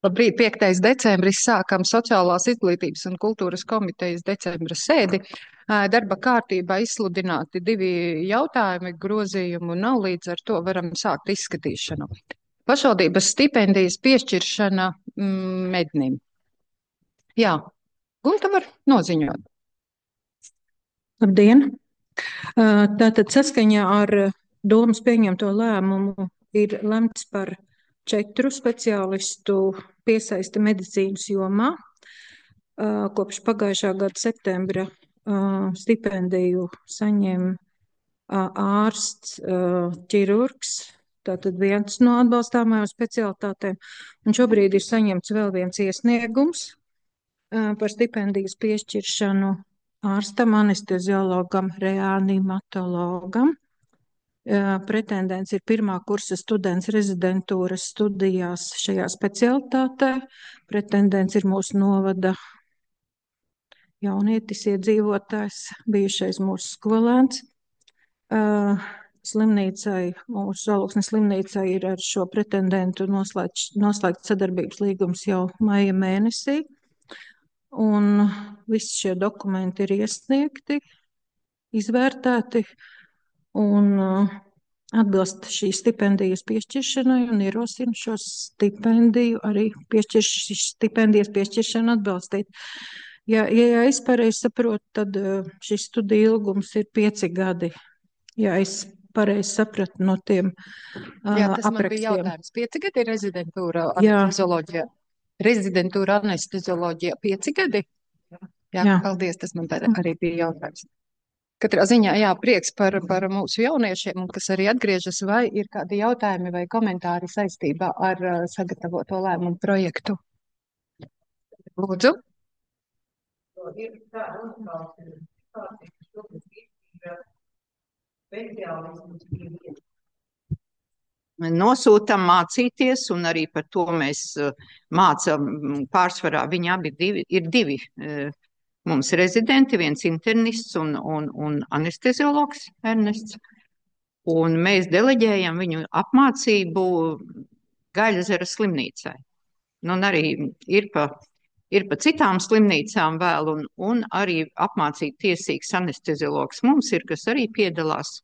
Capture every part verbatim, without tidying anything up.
Labrīt, piektais decembris sākam Sociālās izglītības un kultūras komitejas decembra sēdi. Ā, Darba kārtībā izsludināti divi jautājumi, grozījumu nav, līdz ar to varam sākt izskatīšanu. Pašvaldības stipendijas piešķiršana mm, mednim. Jā, Gunta var noziņot. Labdien! Tātad saskaņā ar domas pieņemto lēmumu ir lemts par četru speciālistu piesaisti medicīnas jomā. Kopš pagājušā gada septembra stipendiju saņem ārsts, ķirurgs, tātad viens no atbalstāmajām specialitātēm, un šobrīd ir saņemts vēl viens iesniegums par stipendijas piešķiršanu ārstam, anesteziologam, reanimatologam. Pretendents ir pirmā kursa students rezidentūras studijās šajā specialitātē. Pretendents ir mūsu novada jaunietis, iedzīvotājs, bijušais mūsu skolēns. Slimnīcai, mūsu Alūksnes slimnīcai ir ar šo pretendentu noslēgts, noslēgts sadarbības līgums jau maija mēnesī. Un visi šie dokumenti ir iesniegti, izvērtēti un uh, atbilst šīs stipendijas piešķiršanai un ierosina šo stipendiju arī piešķirš, stipendijas piešķiršanu atbalstīt. Ja, ja es pareizi saprotu, tad uh, šis studiju ilgums ir pieci gadi. Ja es pareizi sapratu no tiem uh, Jā, tas man bija aprakstiem. jautājums. Pieci gadi ir rezidentūra Jā. anestezioloģijā. Rezidentūra anestezioloģijā pieci gadi? Jā, Jā. paldies, tas man tā arī bija jautājums. Katrā ziņā, jā, prieks par, par mūsu jauniešiem, un kas arī atgriežas, vai ir kādi jautājumi vai komentāri saistībā ar uh, sagatavoto lēmumu projektu. Lūdzu. Ir tāda uzklausība, ka šobrīd ir speciālismus pievienot. Nosūtam mācīties, un arī par to mēs mācām pārsvarā. Viņi abi divi, ir divi mums rezidenti, viens internists un, un, un anesteziologs Ernests. Un mēs deleģējam viņu apmācību Gaļazera slimnīcai. Nu, un arī ir pa, ir pa citām slimnīcām vēl, un, un arī apmācīt tiesīgs anesteziologs mums ir, kas arī piedalās,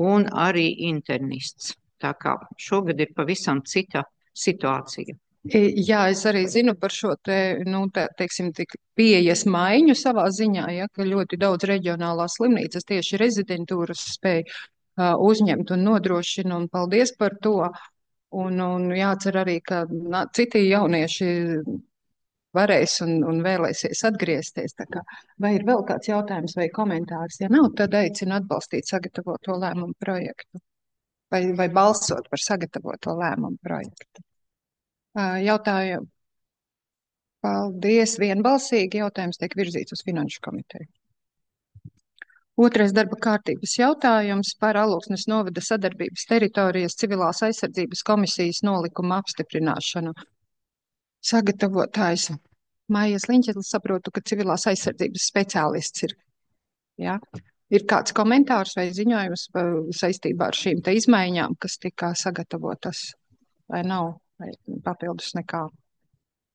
un arī internists. Tā kā šogad ir pavisam cita situācija. Jā, es arī zinu par šo te, nu, tā, teiksim, tik pieejas maiņu savā ziņā, ja, ka ļoti daudz reģionālās slimnīcas tieši rezidentūras spēj uh, uzņemt un nodrošina, un paldies par to. Un, un jācer arī, ka na, citi jaunieši varēs un, un vēlēsies atgriezties. Tā kā, vai ir vēl kāds jautājums vai komentārs? Ja nav, tad aicinu atbalstīt sagatavoto lēmumu projektu. Vai, vai balsot par sagatavoto lēmumu projektu. Jautājumu. Paldies. Vienbalsīgi jautājums tiek virzīts uz Finanšu komiteju. Otrais darba kārtības jautājums par Alūksnes novada sadarbības teritorijas civilās aizsardzības komisijas nolikuma apstiprināšanu. Sagatavotājs Maijas Liņķetlis, saprotu, ka civilās aizsardzības speciālists ir. Jā. Ir kāds komentārs vai ziņojums saistībā ar šīm te izmaiņām, kas tika sagatavotas, vai nav, vai papildus nekā?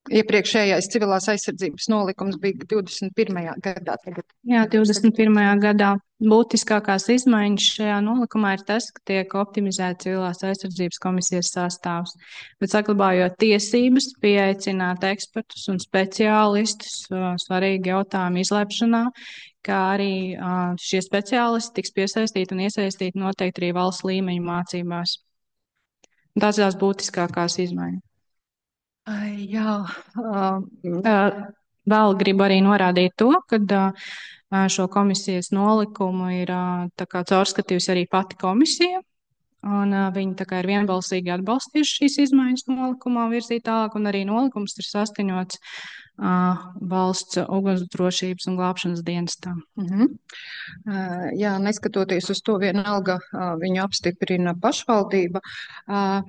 Iepriekšējais civilās aizsardzības nolikums bija divdesmit pirmajā gadā. Tagad... Jā, divdesmit pirmajā gadā būtiskākās izmaiņas šajā nolikumā ir tas, ka tiek optimizēts civilās aizsardzības komisijas sastāvs, bet saglabājot tiesības pieaicināt ekspertus un speciālistus svarīgi jautājumu izlēpšanā, kā arī šie speciālisti tiks piesaistīti un iesaistīti noteikti arī valsts līmeņa mācībās. Tās ir tās būtiskākās izmaiņas. Ai, jā. Uh, vēl gribu arī norādīt to, ka uh, šo komisijas nolikumu ir uh, tā kā caurskatījusi arī pati komisija, un uh, viņi tā kā ir vienbalsīgi atbalstījuši šīs izmaiņas nolikumā virzīt tālāk, un arī nolikums ir saskaņots uh, valsts ugunsdrošības un glābšanas dienestām. Uh -huh. uh, jā, neskatoties uz to, vienalga uh, viņu apstiprina pašvaldība. Uh,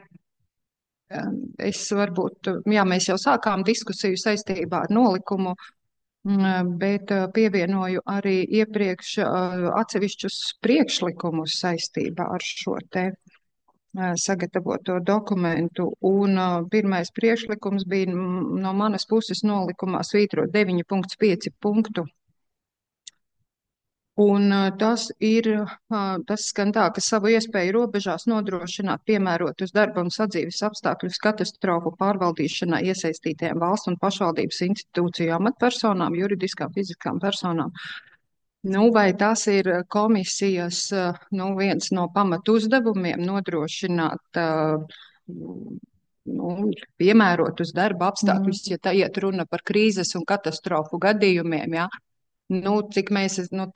Es varbūt, jā, mēs jau sākām diskusiju saistībā ar nolikumu, bet pievienoju arī iepriekš atsevišķus priekšlikumus saistībā ar šo te sagatavoto dokumentu, un uh, pirmais priekšlikums bija no manas puses nolikumā svītrot deviņi punkts pieci punktu. Un uh, tas ir, uh, tas skan tā, ka savu iespēju robežās nodrošināt piemērotus darba un sadzīves apstākļus katastrofu pārvaldīšanā iesaistītajām valsts un pašvaldības institūciju amatpersonām, juridiskām, fiziskām personām. Nu, vai tas ir komisijas, nu, viens no pamatu uzdevumiem nodrošināt, nu, piemērotus darba apstākļus, mm. ja tā iet runa par krīzes un katastrofu gadījumiem, jā? Nu, cik mēs, nu,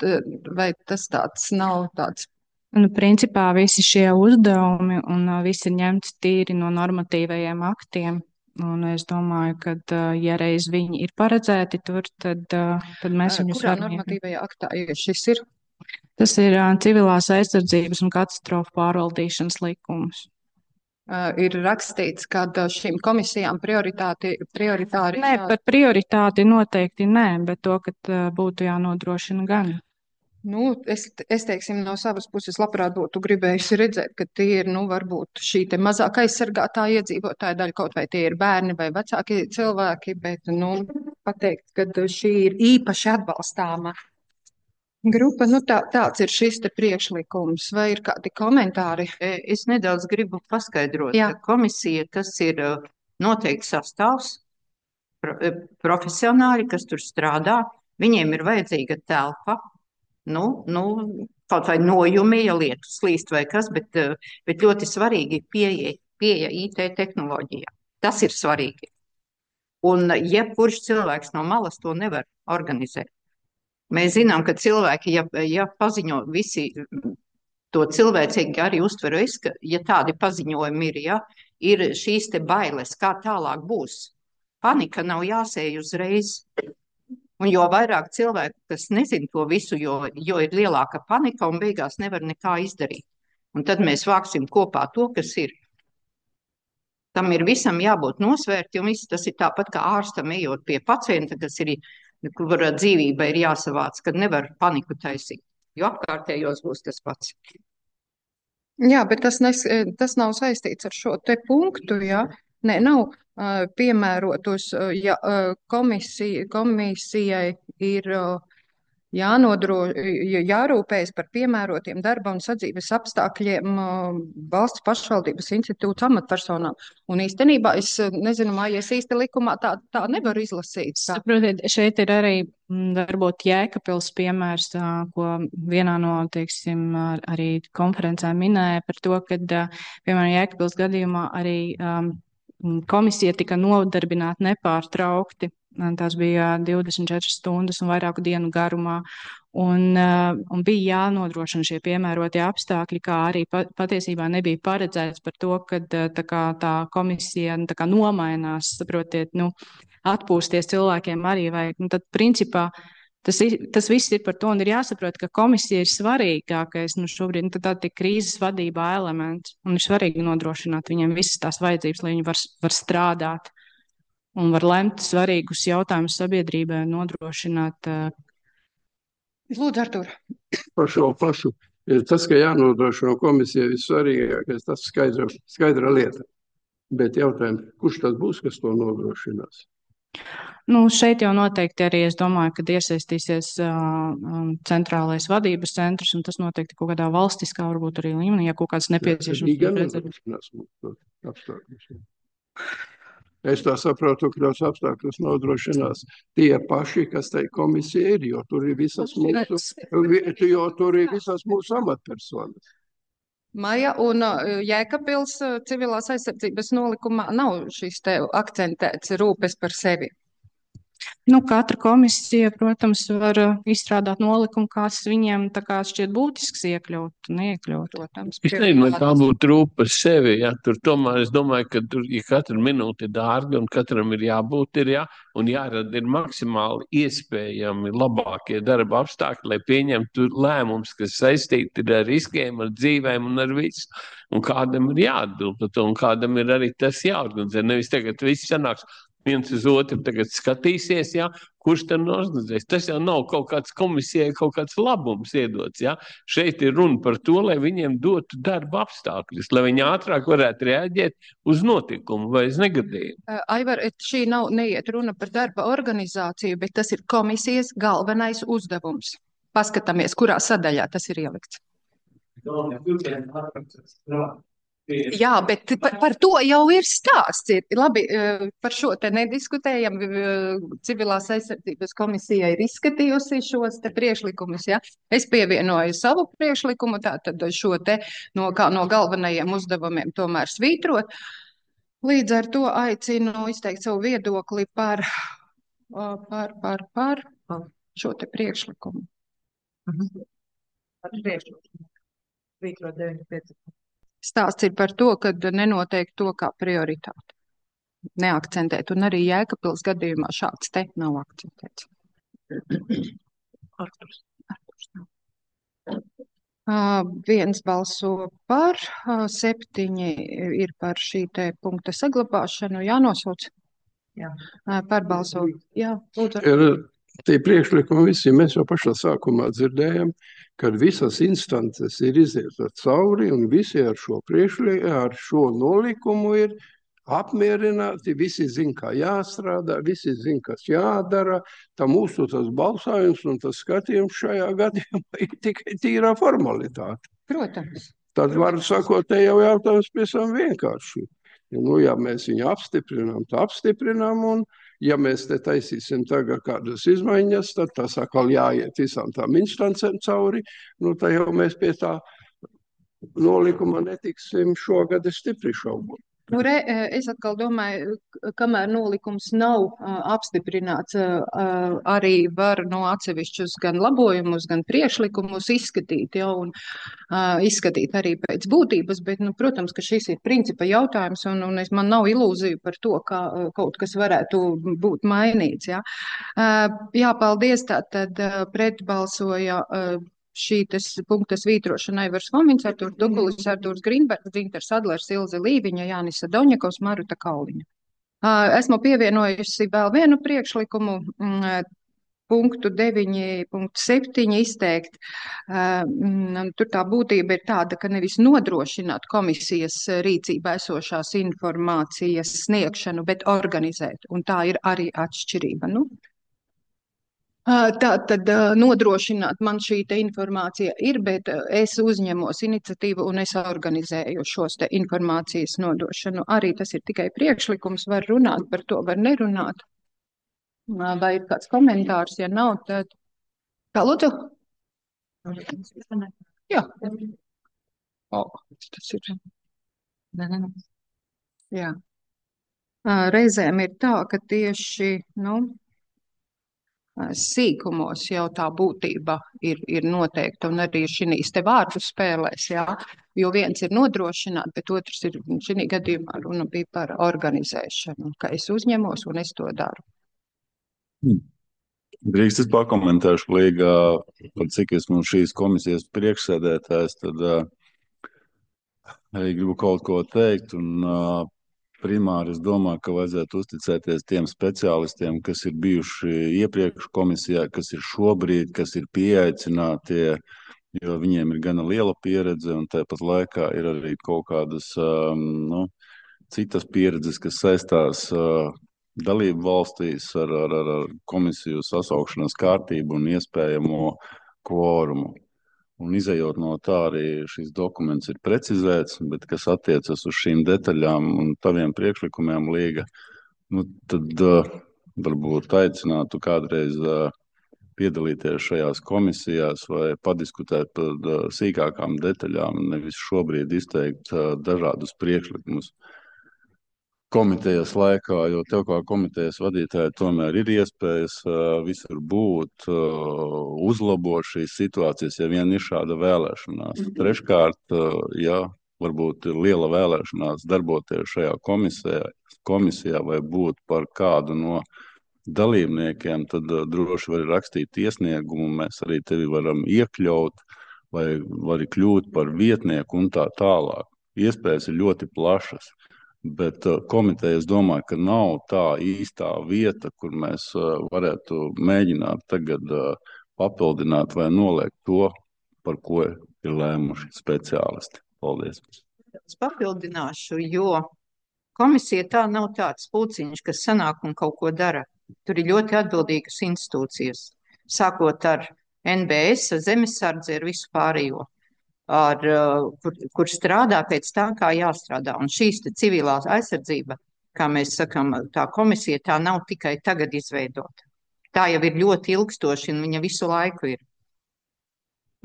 vai tas tāds nav tāds? Nu, principā visi šie uzdevumi un visi ir ņemti tīri no normatīvajiem aktiem. Un es domāju, ka, ja reiz viņi ir paredzēti tur, tad, tad mēs viņus Kurā varam. Kurā normatīvajā aktā šis ir? Tas ir civilās aizsardzības un katastrofu pārvaldīšanas likums. Uh, ir rakstīts, ka šīm komisijām prioritāti, prioritāri... Nē, par prioritāti noteikti nē, bet to, ka būtu jānodrošina gan. Nu, es, es teiksim, no savas puses labprāt būtu gribējusi redzēt, ka tie ir, nu, varbūt šī te mazāk aizsargātā iedzīvotāja daļa, kaut vai tie ir bērni vai vecāki cilvēki, bet, nu, pateikt, ka šī ir īpaši atbalstāma grupa, nu, tā, tāds ir šis te priekšlikums, vai ir kādi komentāri? Es nedaudz gribu paskaidrot, Jā. ka komisija, tas ir noteikti sastāvs, profesionāļi, kas tur strādā, viņiem ir vajadzīga telpa, Nu, nu, kaut vai nojumi, ja lietu slīst vai kas, bet, bet ļoti svarīgi ir pieeja, pieeja I T tehnoloģijā. Tas ir svarīgi. Un jebkurš cilvēks no malas to nevar organizēt. Mēs zinām, ka cilvēki, ja, ja paziņo visi to cilvēcīgi arī uztver es, ka, ja tādi paziņojumi ir, ja, ir šīs te bailes, kā tālāk būs. Panika nav jāsēj uzreiz. Un jo vairāk cilvēku, kas nezin to visu, jo, jo ir lielāka panika un beigās nevar nekā izdarīt. Un tad mēs vāksim kopā to, kas ir. Tam ir visam jābūt nosvērti, un viss tas ir tāpat kā ārstam ejot pie pacienta, kas ir, kur dzīvība ir jāsavāc, kad nevar paniku taisīt, jo apkārtējos būs tas pats. Jā, bet tas, nes, tas nav saistīts ar šo te punktu, jā. Nē, nav uh, piemērotus, uh, ja uh, komisija, komisijai ir uh, jānodro, jārūpējas par piemērotiem darba un sadzīves apstākļiem uh, valsts pašvaldības institūts amatpersonām. Un īstenībā es nezinu, mājies īsti likumā tā, tā nevar izlasīt. Tā. Saprotiet, šeit ir arī varbūt Jēkabpils piemērs, ko vienā no, teiksim, arī konferencē minēja par to, ka, piemēram, Jēkabpils gadījumā arī um, komisija tika nodarbināta nepārtraukti. Tās bija divdesmit četras stundas un vairāku dienu garumā. Un, un bija jānodrošina šie piemērotie apstākļi, kā arī patiesībā nebija paredzēts par to, ka tā, kā, tā komisija tā kā nomainās, saprotiet, nu, atpūsties cilvēkiem arī vajag. Nu, tad, principā, Tas, tas viss ir par to, un ir jāsaprot, ka komisija ir svarīgākais nu, šobrīd, nu, tā ir krīzes vadībā elements, un ir svarīgi nodrošināt viņiem visas tās vajadzības, lai viņi var, var strādāt un var lemt svarīgus jautājumus sabiedrībai un nodrošināt. Lūdzu, Artur. Par šo pašu. Tas, ka jānodrošina komisija ir svarīgākais, tas skaidra, skaidra lieta. Bet jautājums, kurš tas būs, kas to nodrošinās? Nu, šeit jau noteikti arī es domāju, ka iesaistīsies uh, centrālais vadības centrs, un tas noteikti kaut kādā valstiskā, varbūt arī līmenī, ja kaut kāds nepieciešams. Es tā saprotu, ka tos apstākļus nodrošinās tie paši, kas tai komisija ir, jo tur ir visas mūsu, jo tur ir visas mūsu amatpersonas. Maija, un Jēkabpils civilās aizsardzības nolikumā nav šis te akcentēts rūpes par sevi. Nu, katra komisija, protams, var izstrādāt nolikumu, kāds viņiem tā kā šķiet būtisks iekļaut, neiekļaut. Protams, es nezinu, vai tā būtu rūp par sevi, ja, tur tomēr es domāju, ka tur, ja katra minūte ir dārga un katram ir jābūt, ir, ja, un jārada ir maksimāli iespējami labākie darba apstākļi, lai pieņemtu lēmums, kas saistīti ir ar riskiem, ar dzīvēm un ar visu. Un kādam ir jāatbild, un kādam ir arī tas jāorganizē. Nevis tagad viss sanāks, viens uz otru tagad skatīsies, ja, kurš tad organizēs. Tas jau nav kaut kāds komisijai, kaut kāds labums iedots. Ja. Šeit ir runa par to, lai viņiem dotu darba apstākļus, lai viņi ātrāk varētu reaģēt uz notikumu vai uz negadījumu. Aivar, šī nav neiet runa par darba organizāciju, bet tas ir komisijas galvenais uzdevums. Paskatāmies, kurā sadaļā tas ir ielikts. Jā, bet par, par to jau ir stāsts. Ir, labi, par šo te nediskutējam. Civilās aizsardzības komisija ir izskatījusi šos te priekšlikumus. Ja? Es pievienoju savu priekšlikumu, tātad šo te no, kā no galvenajiem uzdevumiem tomēr svītrot. Līdz ar to aicinu izteikt savu viedokli par, par, par, par šo te priekšlikumu. Par priekšlikumu. Svītrot deviņi pieci. Stāsts ir par to, ka nenoteikt to kā prioritāti. Neakcentēt. Un arī Jēkabpils gadījumā šāds te nav akcentēts. Arturs. Arturs nav. Uh, viens balso par, uh, septiņi ir par šī te punkta saglabāšanu. Jānosauc? Jā. Uh, par balso. Jā, lūdzu. Ir tie priekšlikumi visi, mēs jau pašā sākumā dzirdējam, kad visas instances ir izietas cauri un visi ar šo priekšlikumu, ar šo nolikumu ir apmierināti, visi zin, kā jāstrādā, visi zin, kas jādara. Tā mūsu tas balsājums un tas skatījums šajā gadījumā ir tikai tīrā formalitāte. Protams. Tad var sakot, te jau jautājums pēc tam vienkārši. Nu, ja mēs viņu apstiprinām, tā apstiprinām, un ja mēs te taisīsim tagad kādas izmaiņas, tad tas atkal jāiet visām tām instancēm cauri, nu, tā jau mēs pie tā nolikuma netiksim šogad stipri šaubot. Nu, re, es atkal domāju, kamēr nolikums nav uh, apstiprināts, uh, arī var no atsevišķus gan labojumus, gan priekšlikumus izskatīt, ja, un uh, izskatīt arī pēc būtības, bet, nu, protams, ka šis ir principa jautājums, un, un es, man nav ilūziju par to, ka uh, kaut kas varētu būt mainīts, ja. Uh, jā, paldies, tātad uh, pretbalsoja uh, šī tas punkta svītrošana Aivars Fomins, Artūrs Dukulis, Artūrs Grīnbergs, Dzintars Adlers, Ilze Līviņa, Jānisa Doņakovs, Maruta Kauliņa. Esmu pievienojusi vēl vienu priekšlikumu, punktu deviņi punktu septiņi izteikt. Tur tā būtība ir tāda, ka nevis nodrošināt komisijas rīcībā esošās informācijas sniegšanu, bet organizēt, un tā ir arī atšķirība. Nu? Tā tad nodrošināt man šī te informācija ir, bet es uzņemos iniciatīvu un es organizēju šos te informācijas nodošanu. Arī tas ir tikai priekšlikums, var runāt par to, var nerunāt. Vai ir kāds komentārs, ja nav, tad... Kā lūdzu? Jā. O, tas ir... Jā. Reizēm ir tā, ka tieši, nu... sīkumos jau tā būtība ir, ir noteikta, un arī šīs te vārdu spēlēs, jā, jo viens ir nodrošināt, bet otrs ir, šī gadījumā runa bija par organizēšanu, ka es uzņemos un es to daru. Drīkst es pakomentēšu līgā, par cik esmu šīs komisijas priekšsēdētājs, tad uh, arī gribu kaut ko teikt, un uh, primāri es domāju, ka vajadzētu uzticēties tiem speciālistiem, kas ir bijuši iepriekš komisijā, kas ir šobrīd, kas ir pieaicinātie, jo viņiem ir gana liela pieredze, un tāpat laikā ir arī kaut kādas um, nu, citas pieredzes, kas saistās uh, dalību valstīs ar, ar, ar komisiju sasaukšanas kārtību un iespējamo kvorumu. Un izejot no tā, arī šis dokuments ir precizēts, bet kas attiecas uz šīm detaļām un taviem priekšlikumiem līga, nu, tad uh, varbūt aicinātu kādreiz uh, piedalīties šajās komisijās vai padiskutēt par uh, sīkākām detaļām, nevis šobrīd izteikt uh, dažādus priekšlikumus komitejas laikā, jo tev kā komitejas vadītāji tomēr ir iespējas uh, visur būt, uh, uzlabot šīs situācijas, ja vien ir šāda vēlēšanās. Mm-hmm. Treškārt, uh, ja varbūt ir liela vēlēšanās darboties šajā komisijā, komisijā vai būt par kādu no dalībniekiem, tad uh, droši var rakstīt iesniegumu, mēs arī tevi varam iekļaut vai vari kļūt par vietnieku un tā tālāk. Iespējas ir ļoti plašas. Bet komiteja, es domāju, ka nav tā īstā vieta, kur mēs varētu mēģināt tagad papildināt vai noliegt to, par ko ir lēmuši speciālisti. Paldies. Es papildināšu, jo komisija tā nav tāds pulciņš, kas sanāk un kaut ko dara. Tur ir ļoti atbildīgas institūcijas, sākot ar N B S, zemesardzi, ar visu pārējo. Ar, kur, kur strādā pēc tā, kā jāstrādā. Un šīs te civilās aizsardzība, kā mēs sakam, tā komisija, tā nav tikai tagad izveidota. Tā jau ir ļoti ilgstoši un viņa visu laiku ir.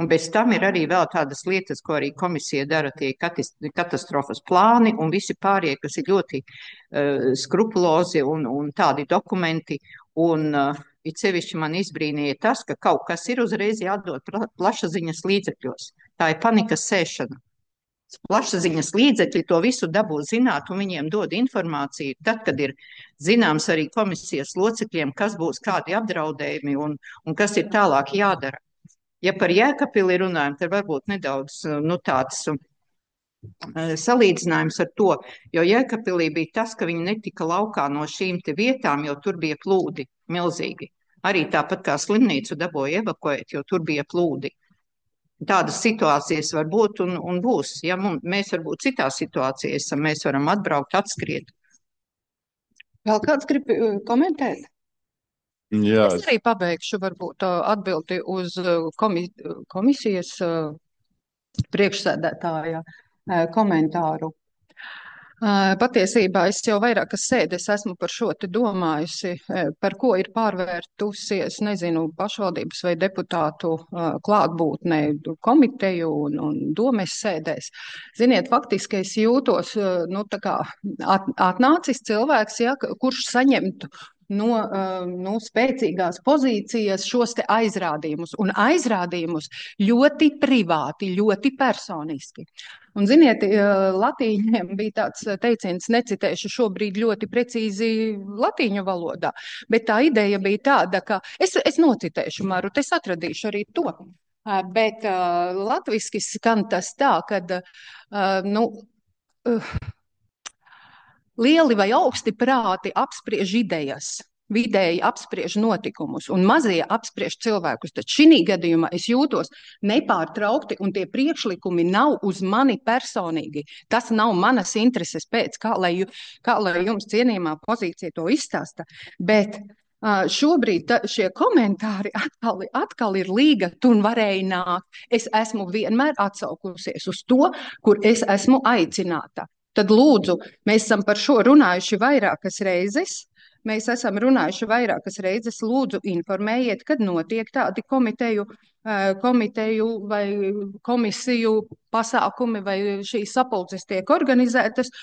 Un bez tam ir arī vēl tādas lietas, ko arī komisija dara, tie katastrofas plāni un visi pārējie, kas ir ļoti uh, skrupulozi un, un tādi dokumenti. Un uh, it sevišķi man izbrīnīja tas, ka kaut kas ir uzreiz jādod plašsaziņas līdzekļos. Tā ir panikas sēšana. Plašsaziņas līdzekļi to visu dabū zināt un viņiem dod informāciju. Tad, kad ir zināms arī komisijas locekļiem, kas būs kādi apdraudējumi un, un kas ir tālāk jādara. Ja par Jēkabpili runājam, tad varbūt nedaudz nu, tāds uh, salīdzinājums ar to, jo Jēkabpilī bija tas, ka viņi netika laukā no šīm te vietām, jo tur bija plūdi milzīgi. Arī tāpat kā slimnīcu dabūja evakuēt, jo tur bija plūdi. Tādas situācijas var būt un, un būs. Ja mums, mēs varbūt citā situācijā esam, mēs varam atbraukt, atskriet. Vēl kāds grib komentēt? Jā, es arī pabeigšu varbūt atbildi uz komi komisijas priekšsēdētāja komentāru. Patiesībā es jau vairākas sēdes esmu par šo te domājusi, par ko ir pārvērtusies, nezinu, pašvaldības vai deputātu klātbūtnē komiteju un, un domes sēdēs. Ziniet, faktiski es jūtos, nu, tā kā at, atnācis cilvēks, ja, kurš saņemtu no, no spēcīgās pozīcijas šos te aizrādījumus, un aizrādījumus ļoti privāti, ļoti personiski. Un, ziniet, latīņiem bija tāds teiciens, necitēšu šobrīd ļoti precīzi latīņu valodā, bet tā ideja bija tāda, ka es, es nocitēšu, Maru, es atradīšu arī to, bet uh, latviski skan tas tā, kad, uh, nu, uh, lieli vai augsti prāti apspriež idejas, vidēji apspriež notikumus un mazie apspriež cilvēkus. Tad šī gadījumā es jūtos nepārtraukti un tie priekšlikumi nav uz mani personīgi. Tas nav manas intereses pēc, kā lai, kā lai jums cienījumā pozīcija to izstāsta. Bet uh, šobrīd ta, šie komentāri atkal, atkal ir līga, tu varēji nākt. Es esmu vienmēr atsaukusies uz to, kur es esmu aicināta. Tad lūdzu, mēs esam par šo runājuši vairākas reizes. Mēs esam runājuši vairākas reizes. Lūdzu, informējiet, kad notiek tādi komiteju, komiteju vai komisiju pasākumi vai šīs sapulces tiek organizētas.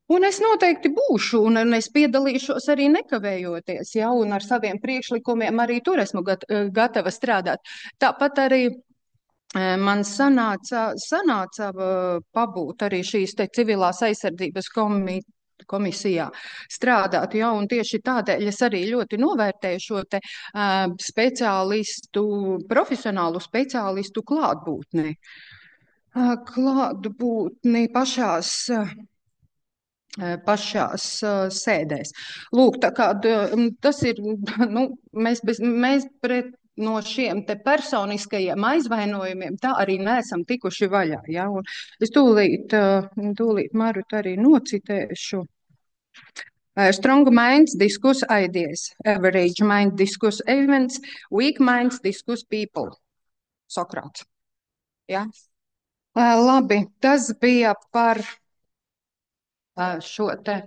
Un es noteikti būšu, un, un es piedalīšos arī nekavējoties, ja, un ar saviem priekšlikumiem arī tur esmu gat, gatava strādāt. Tāpat arī man sanāca, sanāca pabūt arī šīs te civilās aizsardzības komitejas komisijā strādāt, ja, un tieši tādēļ es arī ļoti novērtēju šo te uh, speciālistu, profesionālu speciālistu klātbūtni. Uh, klātbūtni pašās, uh, pašās uh, sēdēs. Lūk, tā kā uh, tas ir, nu, mēs, bez, mēs pret no šiem te personiskajiem aizvainojumiem tā arī neesam tikuši vaļā. Ja? Un es tūlīt, tūlīt Marut arī nocitēšu. Strong minds discuss ideas, average mind discuss events, weak minds discuss people. Sokrāts. Ja? Labi, tas bija par šo te.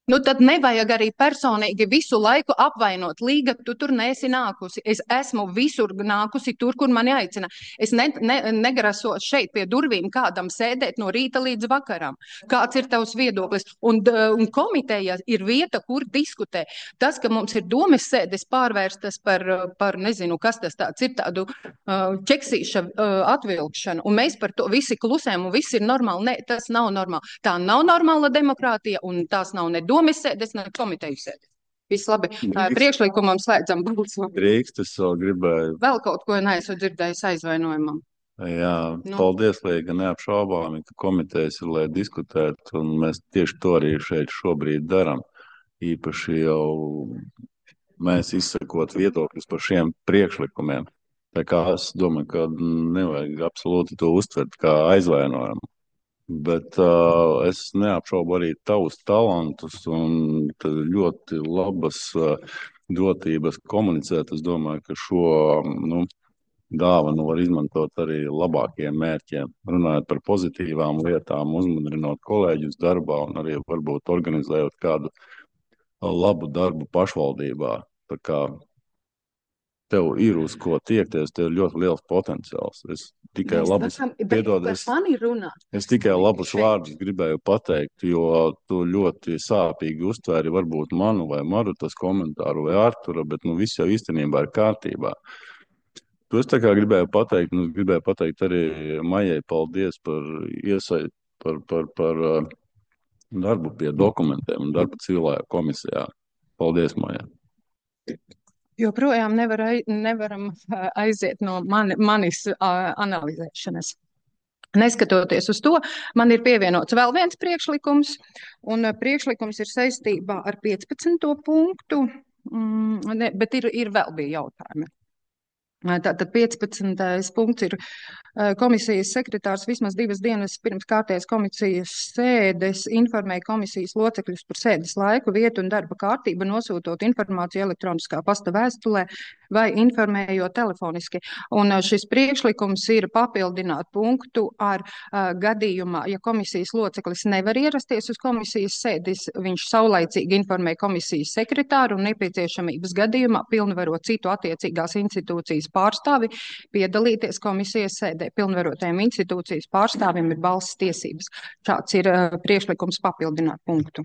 Nu, tad nevajag arī personīgi visu laiku apvainot. Līga, tu tur neesi nākusi. Es esmu visur nākusi tur, kur mani aicina. Es ne, ne, negrasos šeit pie durvīm kādam sēdēt no rīta līdz vakaram. Kāds ir tavs viedoklis? Un, un komiteja ir vieta, kur diskutē. Tas, ka mums ir domes sēdes pārvērstas par, par nezinu, kas tas tāds ir, tādu uh, ķeksīša uh, atvilkšanu. Un mēs par to visi klusējam un viss ir normāli. Nē, tas nav normāli. Tā nav normāla demokrātija un tās nav ne domes sēdes, ne komiteju sēdes. Viss labi. Drīkst. Priekšlikumam slēdzam balsojumu. Drīkst, es vēl gribēju. Vēl kaut ko neesmu dzirdējis aizvainojumam. Jā, Nu. paldies, Līga, neapšaubāmi, ka komitejas ir, lai diskutētu, un mēs tieši to arī šeit šobrīd daram. Īpaši jau mēs izsakot viedokļus par šiem priekšlikumiem. Tā kā es domāju, ka nevajag absolūti to uztvert kā aizvainojumu. Bet uh, es neapšaubu arī tavus talantus un ļoti labas uh, dotības komunicēt. Es domāju, ka šo nu, dāvanu var izmantot arī labākiem mērķiem. Runājot par pozitīvām lietām, uzmundrinot kolēģus darbā un arī varbūt organizējot kādu labu darbu pašvaldībā. Tā kā tev ir uz ko tiekties, tev ir ļoti liels potenciāls. Es tikai Mēs labus, esam- bet piedod, par es, mani runā. es tikai labus Šeit. vārdus gribēju pateikt, jo tu ļoti sāpīgi uztvēri varbūt manu vai Marutas komentāru vai Artura, bet nu viss jau īstenībā ir kārtībā. To es tā kā gribēju pateikt, un es gribēju pateikt arī Maijai paldies par iesai, par, par, par uh, darbu pie dokumentiem un darbu civilajā komisijā. Paldies, Maijai. Joprojām nevar, ai- nevaram ā, aiziet no mani, manis ā, analizēšanas. Neskatoties uz to, man ir pievienots vēl viens priekšlikums, un ā, priekšlikums ir saistībā ar piecpadsmito punktu, mm, ne, bet ir, ir vēl bija jautājumi. Tātad piecpadsmitais punkts ir ā, komisijas sekretārs vismaz divas dienas pirms kārtējas komisijas sēdes informēja komisijas locekļus par sēdes laiku, vietu un darba kārtību, nosūtot informāciju elektroniskā pasta vēstulē vai informējot telefoniski. Un ā, šis priekšlikums ir papildināt punktu ar ā, gadījumā, ja komisijas loceklis nevar ierasties uz komisijas sēdes, viņš saulaicīgi informē komisijas sekretāru un nepieciešamības gadījumā pilnvaro citu attiecīgās institūcijas pārstāvi piedalīties komisijas sēdē. Pilnvarotajiem institūcijas pārstāvim ir balss tiesības. Šāds ir uh, priekšlikums papildināt punktu.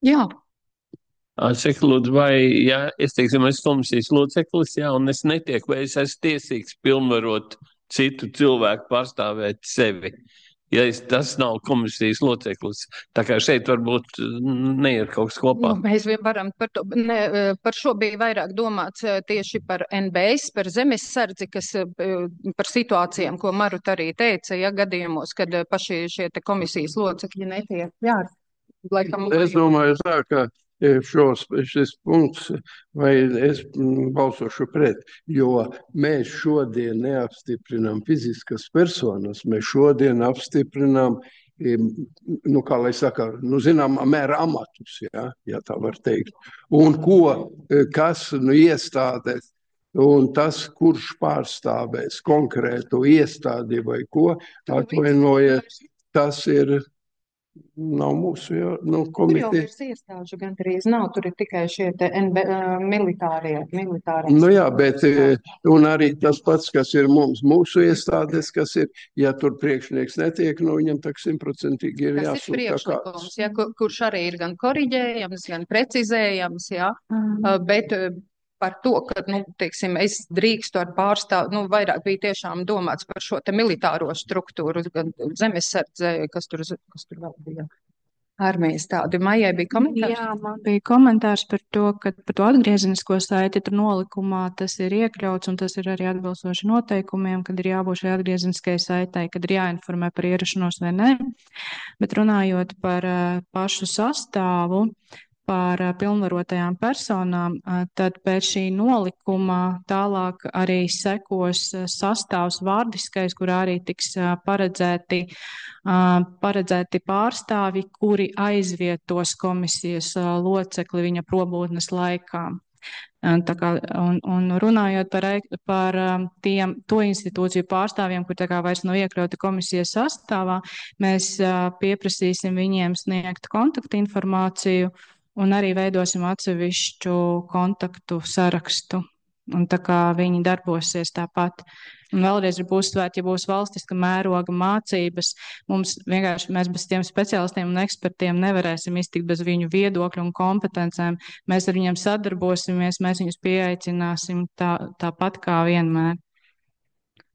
Jā, Cik lūdzu, vai, ja es teiksim, esmu komisijas loceklis, jā, un es netieku, vai es esmu tiesīgs pilnvarot citu cilvēku pārstāvēt sevi, ja es, tas nav komisijas loceklis. Tā kā šeit varbūt mm, neiet kaut kas kopā. nu, mēs vien varam par to, ne, uh, par šo bija vairāk domāts uh, tieši par N B S, par zemesardzi, kas uh, par situācijām, ko Maruta arī teica, ja gadījumos, kad uh, paši šie te komisijas locekļi netiek. Jā, laikam. Es domāju tā, ka e, šos, šis punkts, vai es mm, balsošu pret, jo mēs šodien neapstiprinām fiziskas personas, mēs šodien apstiprinām, e, nu, kā lai saka, nu, zinām, mēra amatus, ja, ja tā var teikt. Un ko, e, kas, nu, iestādes, un tas, kurš pārstāvēs konkrētu iestādi vai ko, atvainojiet, tas ir. Nav mūsu jā, nu, Tur jau komiteja. virs iestāžu gandrīz nav, tur ir tikai šie te N B, uh, militārie, militārie. Nu jā, bet e, un arī tas pats, kas ir mums, mūsu iestādes, kas ir, ja tur priekšnieks netiek, nu viņam tak simtprocentīgi ir Tas ir jāsūt tā priekšlikums, kāds. ja, kur, kurš arī ir gan koriģējams, gan precizējams, jā, uh, bet uh, par to, ka, nu, teiksim, es drīkstu ar pārstāvu, nu, vairāk bija tiešām domāts par šo te militāro struktūru, gan zemesardze, kas tur, kas tur vēl bija. Armijas tādi. Maijai bija komentārs? Jā, man bija komentārs par to, ka par to atgriezenisko saiti tur nolikumā tas ir iekļauts un tas ir arī atbilstoši noteikumiem, kad ir jābūt šai atgriezeniskajai saitai, kad ir jāinformē par ierašanos vai nē. Bet runājot par uh, pašu sastāvu, par uh, pilnvarotajām personām, uh, tad pēc šī nolikuma tālāk arī sekos uh, sastāvs vārdiskais, kurā arī tiks uh, paredzēti, uh, paredzēti pārstāvi, kuri aizvietos komisijas uh, locekli viņa probūtnes laikā. Un, tā kā, un, un runājot par, ei- par um, tiem, to institūciju pārstāvjiem, kur tā kā vairs nav iekļauti komisijas sastāvā, mēs uh, pieprasīsim viņiem sniegt kontaktinformāciju un arī veidosim atsevišķu kontaktu sarakstu. Un tā kā viņi darbosies tāpat. Un vēlreiz gribu uzsvērt, ja būs valstiska mēroga mācības, mums vienkārši mēs bez tiem speciālistiem un ekspertiem nevarēsim iztikt bez viņu viedokļu un kompetencēm. Mēs ar viņiem sadarbosimies, mēs viņus pieaicināsim tā, tāpat kā vienmēr.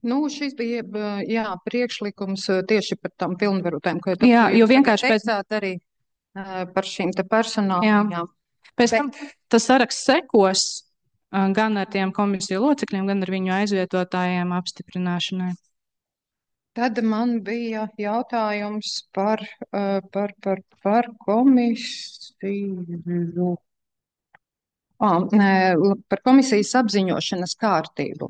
Nu, šis bija, b- jā, priekšlikums uh, tieši par tām pilnvarotēm, ko Jā, jūs jo tagad vienkārši pēc- teicāt arī uh, par šīm te personām. Jā. Jā. Pēc Bet- tam tas saraksts sekos uh, gan ar tiem komisiju locekļiem, gan ar viņu aizvietotājiem apstiprināšanai. Tad man bija jautājums par, uh, par, par, par komisiju. Ah, nē, par komisijas apziņošanas kārtību.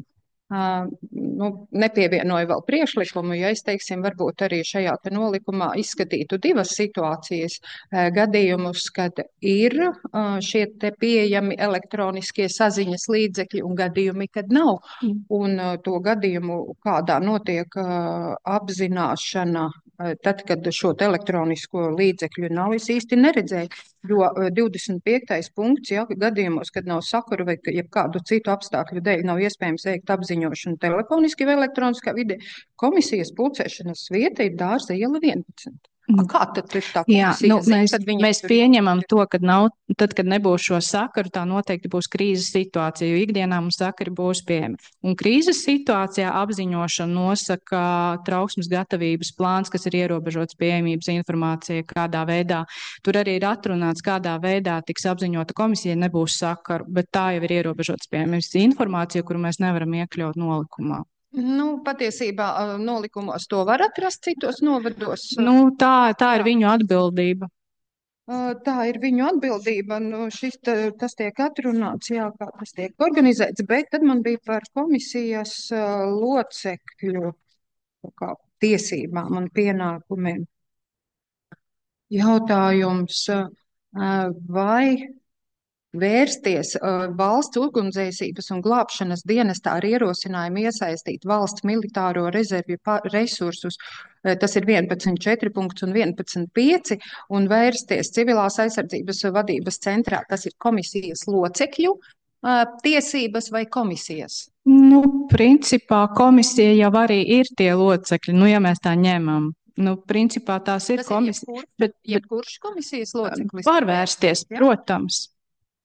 Uh, nu, nepievienoju vēl priekšlikumu, ja es, teiksim, varbūt arī šajā te nolikumā izskatītu divas situācijas, uh, gadījumus, kad ir uh, šie te pieejami elektroniskie saziņas līdzekļi un gadījumi, kad nav. Mm. Un uh, to gadījumu, kādā notiek uh, apzināšana, uh, tad, kad šo te elektronisko līdzekļu nav, es īsti neredzēju, jo uh, divdesmit piektais punkts, ja gadījumos, kad nav sakuru vai ka- jebkādu citu apstākļu dēļ nav iespējams veikt apziņošanu telefoniski vai elektroniskā vidē, komisijas pulcēšanas vieta ir Dārza iela vienpadsmit. A, kā tad ir tā Jā, komisija nu, zina, mēs, kad viņi mēs tur pieņemam to, ka nav, tad, kad nebūs šo sakaru, tā noteikti būs krīzes situācija, jo ikdienā mums sakari būs pieejami. Un krīzes situācijā apziņošana nosaka trauksmes gatavības plāns, kas ir ierobežots pieejamības informācija, kādā veidā. Tur arī ir atrunāts, kādā veidā tiks apziņota komisija, nebūs sakaru, bet tā jau ir ierobežots pieejamības informācija, kuru mēs nevaram iekļaut nolikumā. Nu, patiesībā uh, nolikumos to var atrast citos novados. Nu, tā, tā ir Jā. viņu atbildība. Uh, Tā ir viņu atbildība. Nu, šis, te, tas tiek atrunāts, jā, kā tas tiek organizēts, bet tad man bija par komisijas uh, locekļu kā, tiesībām un pienākumiem. Jautājums, uh, vai vērsties uh, valsts ugunsdzēsības un glābšanas dienestā ar ierosinājumu iesaistīt valsts militāro rezervju pa- resursus, uh, tas ir vienpadsmit četri punkts un vienpadsmit pieci, un vērsties civilās aizsardzības vadības centrā, tas ir komisijas locekļu uh, tiesības vai komisijas? Nu, principā komisija jau arī ir tie locekļi, nu, ja mēs tā ņemam. Nu, principā tās ir Tas komisijas, ir jebkurš, bet, bet jebkurš komisijas loceklis. var vērsties, Jā. protams.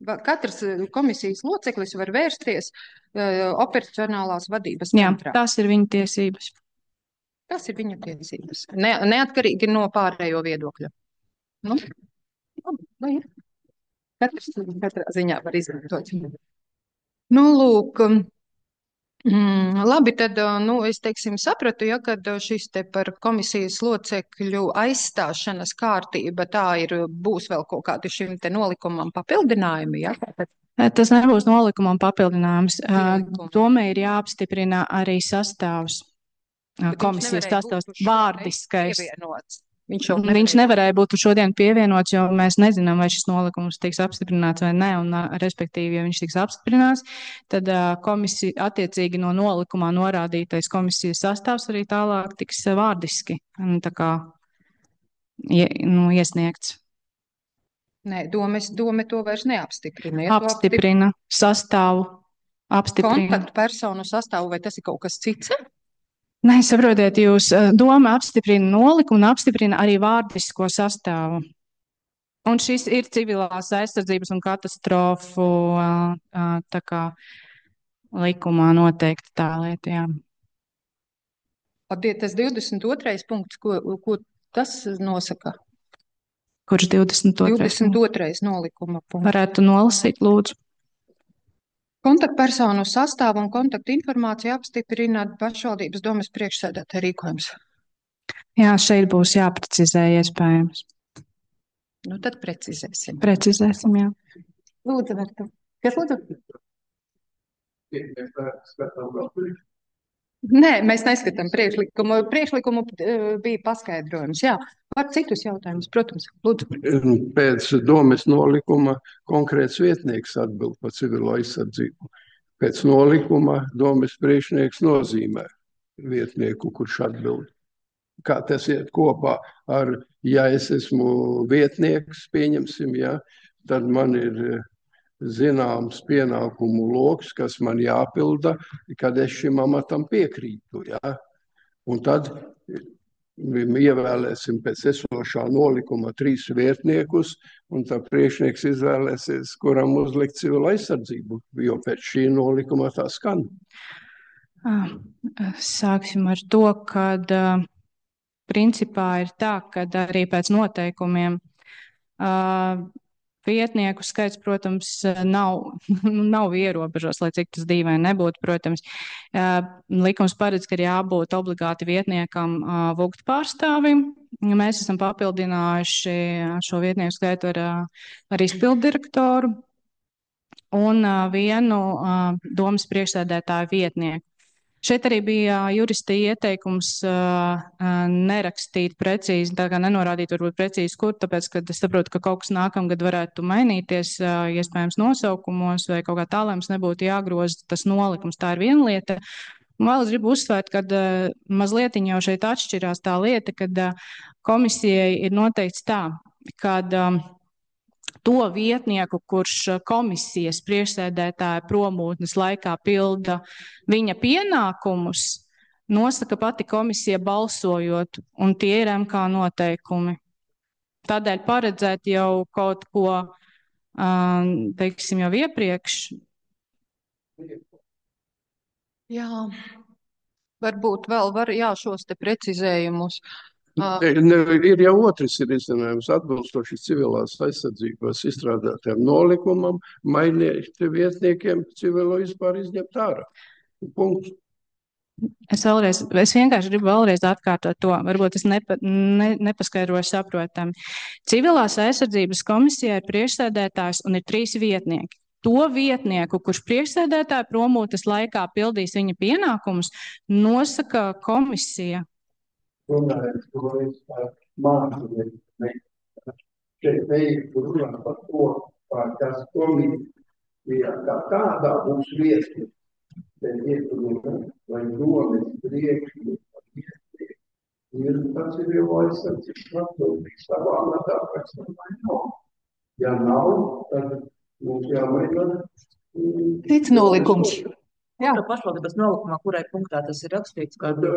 Va- Katrs uh, komisijas loceklis var vērsties uh, operacionālās vadības Jā, centrā. tās ir viņa tiesības. Tas ir viņa tiesības. Ne, neatkarīgi no pārējo viedokļa. Nu, labi, lai ir. Katrs katrā ziņā var izmantot. Nu, lūk, mm, labi, tad, uh, nu, es teiksim sapratu, ja, kad uh, šis te par komisijas locekļu aizstāšanas kārtība, tā ir, būs vēl kaut kādi šim te nolikumam papildinājumi, ja? Tātad Tas nebūs nolikumam papildinājums. Nolikumu. Domai ir jāapstiprina arī sastāvs, ā, Bet viņš komisijas nevarēja būt sastāvs, uz šo vārdiskais. pievienots. Viņš jau Viņš nevarēja būt šodien pievienots, jo mēs nezinām, vai šis nolikums tiks apstiprināts vai nē, un, ā, respektīvi, ja viņš tiks apstiprināts, tad ā, komisija attiecīgi no nolikumā norādītais komisijas sastāvs arī tālāk tiks ā, vārdiski, nu, tā kā, ie, nu, iesniegts. Nē, domes, dome to vairs neapstiprina. Ja to Apstiprina sastāvu, apstiprina. kontaktpersonu sastāvu, vai tas ir kaut kas cits? Nē, saprotiet, jūs ā, doma apstiprina nolikumu un apstiprina arī vārdisko sastāvu. Un šis ir civilās aizsardzības un katastrofu ā, ā, tā kā likumā noteikti tā lieta, jā. Tie tas divdesmit otrais punkts, ko, ko tas nosaka? Kurš divdesmit otrais divdesmit otrais nolikuma punkts. varētu nolasīt, lūdzu? Kontaktpersonu sastāvu un kontaktu informāciju apstiprina pašvaldības domes priekšsēdētāja rīkojums. Jā, šeit būs jāprecizē iespējams. Nu, tad precizēsim. Precizēsim, jā. Lūdzu, Verta. Kas lūdzu? Nē, mēs neskatām priekšlikumu. Priekšlikumu eh, bija paskaidrojums. Jā, var citus jautājumus, protams. Lūdzu. Pēc domes nolikuma konkrēts vietnieks atbild par civilo aizsardzību. Pēc nolikuma domes priekšnieks nozīmē vietnieku, kurš atbild. Kā tas iet kopā ar, ja es esmu vietnieks, pieņemsim, ja, tad man ir eh, zināms pienākumu loks, kas man jāpilda, kad es šim amatam piekrītu. Ja? Un tad ievēlēsim pēc esošā nolikuma trīs vietniekus, un tad priekšnieks izvēlēsies, kuram uzlikt civila aizsardzību, jo pēc šī nolikuma tā skan. Ah, Sāksim ar to, kad ā, principā ir tā, ka arī pēc noteikumiem ā, vietnieku skaits, protams, nav, nav ierobežots, lai cik tas dīvaini nebūtu, protams. Likums paredz, ka ir jābūt obligāti vietniekam vugtu pārstāvim. Mēs esam papildinājuši šo vietnieku skaitu ar, ar izpildirektoru un vienu domas priekšsēdētāju vietnieku. Šeit arī bija jurista ieteikums uh, nerakstīt precīzi, tā kā nenorādīt varbūt precīzi, kur, tāpēc, ka es saprotu, ka kaut kas nākamgad varētu mainīties, uh, iespējams nosaukumos vai kaut kā tā, lai mums nebūtu jāgroza tas nolikums. Tā ir viena lieta. Un vēl es gribu uzsvērt, ka uh, mazliet jau šeit atšķirās tā lieta, kad uh, komisijai ir noteikts tā, kad um, to vietnieku, kurš komisijas priekšsēdētāja promūtnes laikā pilda viņa pienākumus, nosaka pati komisija balsojot, un tie ir M K noteikumi. Tādēļ paredzēt jau kaut ko, teiksim, jau iepriekš. Jā, varbūt vēl var, jā, šos te precizējumus. Ne, ir jau otrs ir izcinājums atbilstoši civilās aizsardzības izstrādātiem nolikumam, mainiet vietniekiem civilo vispār izņemt ārā. Punkts. Es vēlreiz, es vienkārši gribu vēlreiz atkārtot to, varbūt es nepa, ne, nepaskaidroju saprotami. Civilās aizsardzības komisijā ir priekšsēdētājs un ir trīs vietnieki. To vietnieku, kurš priekšsēdētāja promūtes laikā pildīs viņa pienākumus, nosaka komisija. Runājot, ko es par mākslinieku šeit teiktu runāt par to, par kas komisija kā tādā būs viesni. Te ieturumā, vai domas priekšļi par viesni, ir tas ir jau aizsardzības atbildīgs savā matā, kas tam vai nav. Ja nav, tad mums jāmaina. Cits nolikums. Jā, pašvaldības nolikumā, kurai punktā tas ir rakstīts? Tad jā.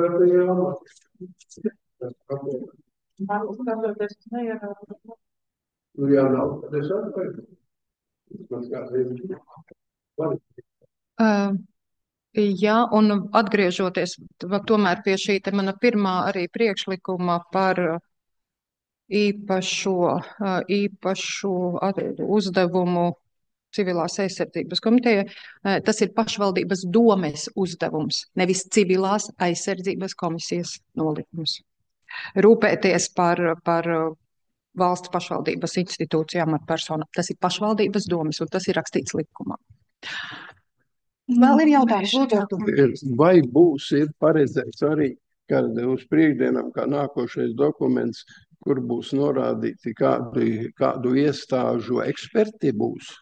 Nu, jā, nav, tad es atpaidu. Uh, jā, un atgriežoties tomēr pie šī te mana pirmā arī priekšlikuma par īpašo, īpašu uzdevumu civilās aizsardzības komiteja, tas ir pašvaldības domes uzdevums, nevis civilās aizsardzības komisijas nolikums. Rūpēties par, par valsts pašvaldības institūcijām ar personu. Tas ir pašvaldības domes, un tas ir rakstīts likumā. Vēl ir jautājums, lūdzu. Vai būs ir paredzēts arī, kad uz priekšdienām, kā nākošais dokuments, kur būs norādīti, kādu, kādu iestāžu eksperti būs?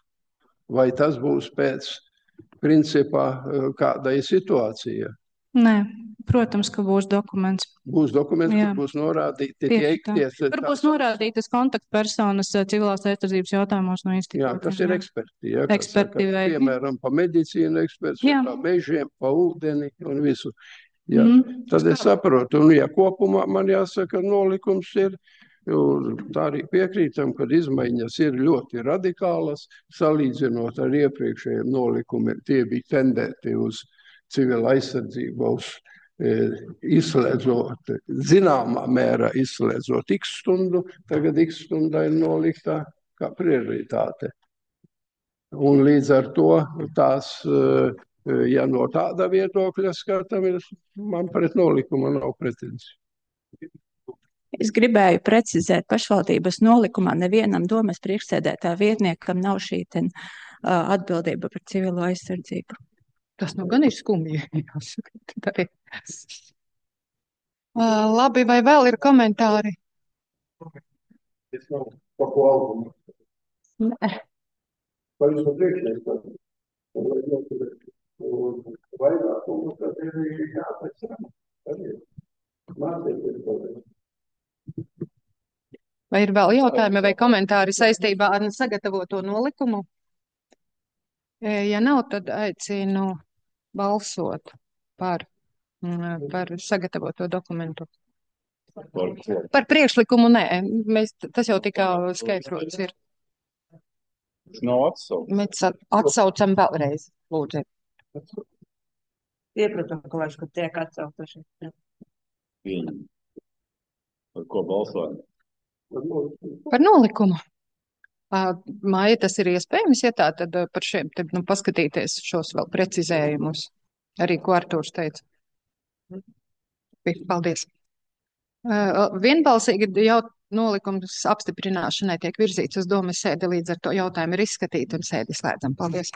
Vai tas būs pēc principā kādai situācijai? Nē, protams, ka būs dokuments. Būs dokuments, Jā. kur būs norādīti tie ikties. Tur būs norādītas kontaktpersonas civilās aizsardzības jautājumos no institūtiem. Jā, tas ir eksperti. Jā, eksperti saka, vai... Piemēram, pa medicīnu eksperts, pa mežiem, pa ūdeni un visu. Jā, mm. Tad es saprotu. Un ja kopumā man jāsaka, nolikums ir, tā arī piekrītam, kad izmaiņas ir ļoti radikālas, salīdzinot ar iepriekšējiem nolikumiem, tie bija tendēti uz civilu aizsardzību, uz e, izslēdzot, zināmā mērā izslēdzot x stundu, tagad x stunda ir noliktā kā prioritāte. Un līdz ar to tās, ja no tāda viedokļa skatāmies, man pret nolikumu nav pretenziju. Es gribēju precizēt, pašvaldības nolikumā nevienam domas priekšsēdētāja vietniekam nav šī ten, uh, atbildība par civilo aizsardzību. Tas nu gan ir skumji. uh, labi, vai vēl ir komentāri? Es nav pa ko albumu. Nē. Vai jūs no priekšnieks? Vairāk, un tad ir jāpēc. Mācīties to. Vai ir vēl jautājumi vai komentāri saistībā ar sagatavoto nolikumu? Ja nav, tad aicinu balsot par, par sagatavoto dokumentu. Par, par priekšlikumu nē, mēs, tas jau tika skaidrots ir. Tas nav atsauc. Mēs atsaucam vēlreiz, lūdzu. Iepratam, kolēģis, ka tiek atsautoši. Pieņem. Par ko balsojam? Par nolikumu. Māja, tas ir iespējams, ja tā, tad par šiem, tad, nu, paskatīties šos vēl precizējumus, arī ko Artūrs teica. Paldies. Vienbalsīgi jau nolikums apstiprināšanai tiek virzīts uz domas sēdi, līdz ar to jautājumu ir izskatīti un sēdi slēdzam. Paldies.